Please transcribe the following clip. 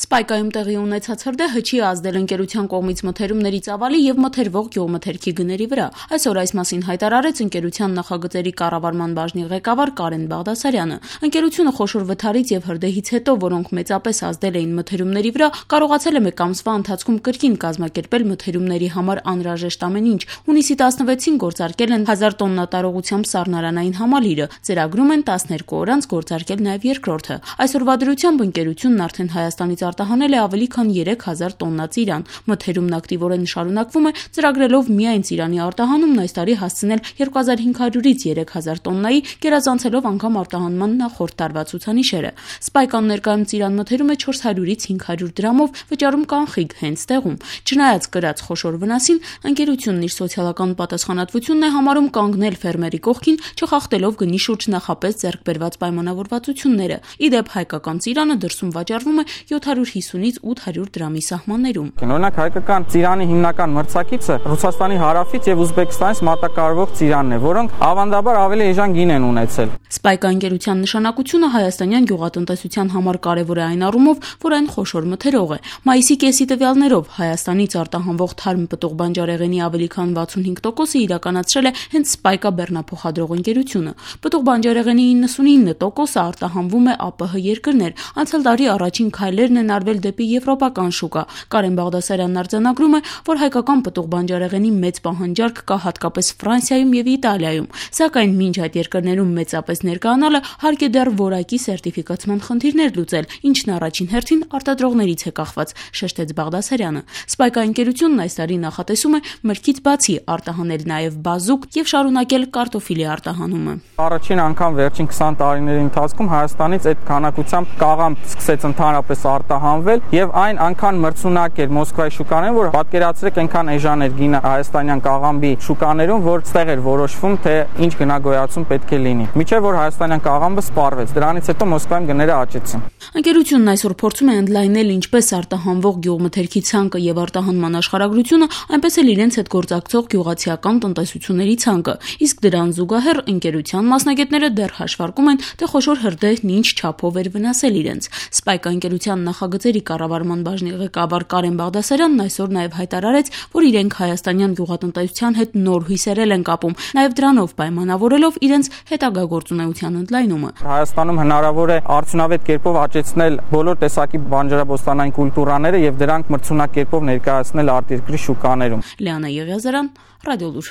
Սպայկայում տեղի ունեցած հրդեհ հչի ազդել ընկերության կողմից մթերումների ծավալի եւ մթերվող գյուղմթերքի գների վրա։ Այսօր այս մասին հայտարարեց ընկերության նախագծերի կառավարման բաժնի ղեկավար Կարեն Բաղդասարյանը։ Ընկերությունը խոշոր վթարից եւ հրդեհից հետո, որոնք մեծապես ազդել էին մթերումների վրա, կարողացել է մեկ ամսվա ընթացքում կրկին կազմակերպել մթերումների համար անհրաժեշտ ամեն ինչ։ Հունիսի 16-ին գործարկել են 1000 տոննա տարողությամբ սառնարանային համալիրը, ծրագրում են 12 օր անց գործարկել նաեւ երկրորդը։ Այսօրվա դրությամբ ընկերությունն արդեն Հայաստանից արտահանել է ավելի քան 3000 տոննա ծիրան։ Մթերումն ակտիվորեն շարունակվում է, ծրագրելով միայն ծիրանի արտահանումն այս տարի հասցնել 2500-ից 3000 տոննայի, գերազանցելով անգամ արտահանման նախորդ տարվա ցուցանիշերը։ Սպայկան ներկայում ծիրան մթերում է 400-ից 500 դրամով, վճարում կանխիկ հենց տեղում։ Չնայած կրած խոշոր վնասին, ընկերությունն իր սոցիալական պատասխանատվությունն է համարում կանգնել ֆերմերի կողքին, չխախտելով գնի շուրջ նախապես ձեռք բերված պայմանավորվածությունները։ Ի դեպ, հայկական ծիրանը դրսում վաճառվում է 750-ից 800 դրամի սահմաններում։ Օրինակ հայկական ծիրանի հիմնական մրցակիցը Ռուսաստանի հարավից եւ Ուզբեկստանից մատակարարվող ծիրանն է, որոնք ավանդաբար ավելի էժան գին են ունեցել։ Սպայկա ընկերության նշանակությունը հայաստանյան գյուղատնտեսության համար կարևոր է այն առումով, որ այն խոշոր մթերող է։ Մայիսի կեսի տվյալներով Հայաստանից արտահանվող թարմ պտուղ բանջարեղենի ավելի քան 65%-ը իրականացրել է հենց Սպայկա բեռնափոխադրող ընկերությունը։ Պտուղ բանջարեղենի 99%-ը արտահանվում է ԱՊՀ երկրներ։ Անցյալ տարի առաջին քայլերն են արվել դեպի եվրոպական շուկա։ Կարեն Բաղդասարյանն արձանագրում է, որ հայկական պտուղ բանջարեղենի մեծ պահանջարկ կա հատկապես Ֆրանսիայում եւ Իտալիայում, սակայն մինչ այդ երկրներում մեծապես ներկայանալը հարկ է դեռ որակի սերտիֆիկացման խնդիրներ լուծել, ինչն առաջին հերթին արտադրողներից է կախված, շեշտեց Բաղդասարյանը։ Սպայկա ընկերությունն այս տարի նախատեսում է մրգից բացի արտահանել նաեւ բազուկ եւ շարունակել կարտոֆիլի արտահանումը։ Առաջին անգամ վերջին 20 տարիների ընթացքում Հայաստանից այդ քանակությամբ կաղամ սկսեց ընդհանրապես արտահանվել եւ այն անգամ մրցունակ էր Մոսկվայի շուկաներում, որ պատկերացրեք այնքան էժան էր գինը հայաստանյան կաղամբի շուկաներում, որ ստեղ էր որոշվում, թե ինչ գնագոյացում պետք է լինի։ Միջև որ հայաստանյան կաղամբը սպառվեց, դրանից հետո Մոսկվայում գները աճեցին։ Ընկերությունն այսօր փորձում է ընդլայնել ինչպես արտահանվող գյուղմթերքի ցանկը եւ արտահանման աշխարհագրությունը, այնպես էլ իրենց հետ գործակցող գյուղացիական տնտեսությունների ցանկը։ Իսկ դրան զուգահեռ ընկերության մասնագետները դեռ հաշվարկում են, թե խոշոր հրդեհն ինչ չափով էր վնասել իրենց։ Սպայկա ընկերության նախագծերի կառավարման բաժնի ղեկավար Կարեն Բաղդասարյանն այսօր նաեւ հայտարարեց, որ իրենք հայաստանյան գյուղատնտեսության հետ նոր հույսերել են կապում, նաեւ դրանով պայմանավորելով իրենց հետագա գործունեության ընդլայնումը։ Հայաստանում հնարավոր է արդյունավետ կերպով աճեցնել բոլոր տեսակի բանջարաբոստանային կուլտուրաները եւ դրանք մրցունակ կերպով ներկայացնել արտերկրի շուկաներում։ Լիանա Եղիազարյան, Ռադիոլուր։